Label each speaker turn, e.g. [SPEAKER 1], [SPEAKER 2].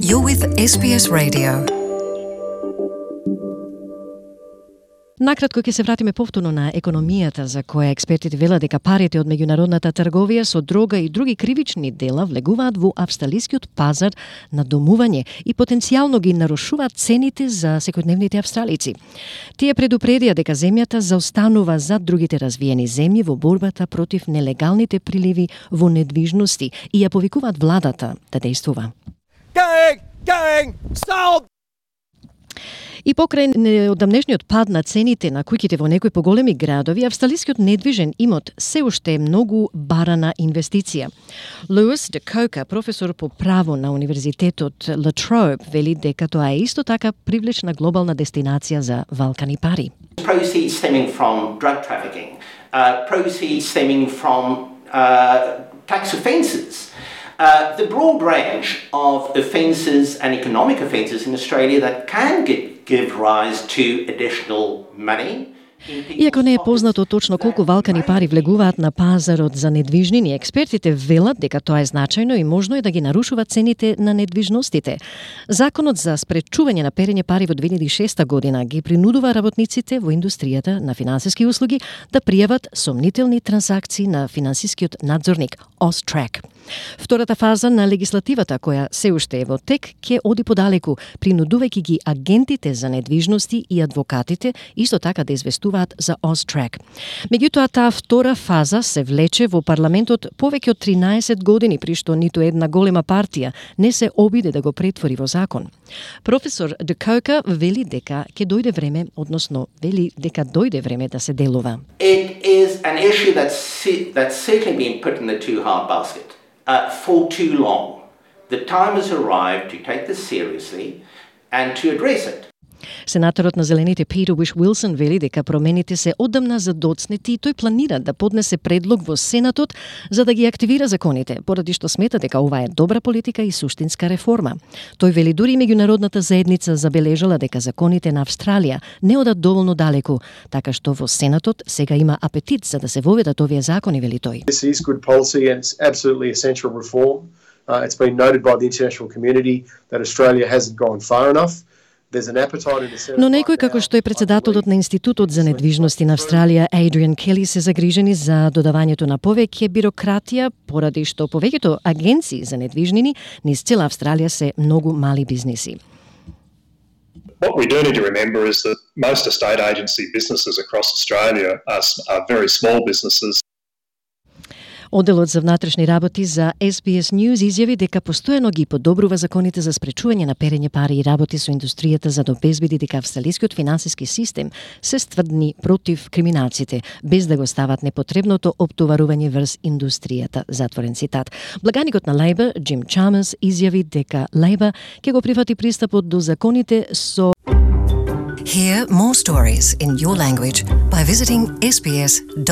[SPEAKER 1] You're with SBS Radio.
[SPEAKER 2] Накратко ќе се вратиме повторно на економијата, за која експертите велат дека парите од меѓународната трговија со дрога и други кривични дела влегуваат во австралискиот пазар на домување и потенцијално ги нарушуваат цените за секојдневните австралици. Тие предупредија дека земјата заостанува за другите развиени земји во борбата против нелегалните приливи во недвижности и ја повикуваат владата да действува.
[SPEAKER 3] Stop!
[SPEAKER 2] И покрај неодамнешниот пад на цените на куќите во некои поголеми градови, австралискиот недвижен имот се уште е многу барана инвестиција. Луис де Кока, професор по право на Универзитетот La Trobe, вели дека тоа е исто така привлечна глобална дестинација за валкани пари.
[SPEAKER 4] Proceeds stemming from drug trafficking, proceeds stemming from tax offences. The broad range of offences and economic offences in Australia that can give rise to additional money.
[SPEAKER 2] Иако не е познато точно колку валкани пари влегуваат на пазарот за недвижнини, експертите велат дека тоа е значајно и можно е да ги нарушува цените на недвижностите. Законот за спречување на перење пари во 2006 година ги принудува работниците во индустријата на финансиски услуги да пријават сомнителни транзакции на финансискиот надзорник AUSTRAC. Втората фаза на легислативата, која се уште е во тек, ќе оди подалеку, принудувајќи ги агентите за недвижности и адвокатите исто така да известуваат за AUSTRAC. Меѓутоа, таа втора фаза се влече во парламентот повеќе од 13 години, при што ниту една голема партија не се обиде да го претвори во закон. Професор де Кока вели дека ќе дојде време, односно вели дека дојде време да се делува.
[SPEAKER 4] It is an issue that's certainly been put in the too hard basket. For too long. The time has arrived to take this seriously and to address it.
[SPEAKER 2] Сенаторот на Зелените Питер Уилсон вели дека промените се одамна задоцнети и тој планира да поднесе предлог во Сенатот за да ги активира законите, поради што смета дека ова е добра политика и суштинска реформа. Тој вели дури меѓународната заедница забележала дека законите на Австралија не одат доволно далеку, така што во Сенатот сега има апетит за да се воведат овие закони, вели тој.
[SPEAKER 5] This is good policy and it's absolutely essential reform. It's been noted by the international community that Australia hasn't gone far enough.
[SPEAKER 2] Но некој како што е председателот на Институтот за недвижности на Австралија, Адриан Кели, се загрижени за додавањето на повеќе бирократија, поради што повеќето агенции за недвижнини низ цела Австралија се многу мали бизниси.
[SPEAKER 6] What we do need to remember is that most estate agency businesses across Australia are very small businesses.
[SPEAKER 2] Оделот за внатрешни работи за SBS News изјави дека постојано ги подобрува законите за спречување на перење пари и работи со индустријата за да обезбеди дека австралискиот финансиски систем се стврдни против криминалците, без да го стават непотребното оптоварување врз индустријата, затворен цитат. Благаникот на Лейбор, Джим Чалмерс, изјави дека Лейбор ќе го прифати пристапот до законите со
[SPEAKER 1] Hear more stories in your language by visiting sbs.com.au.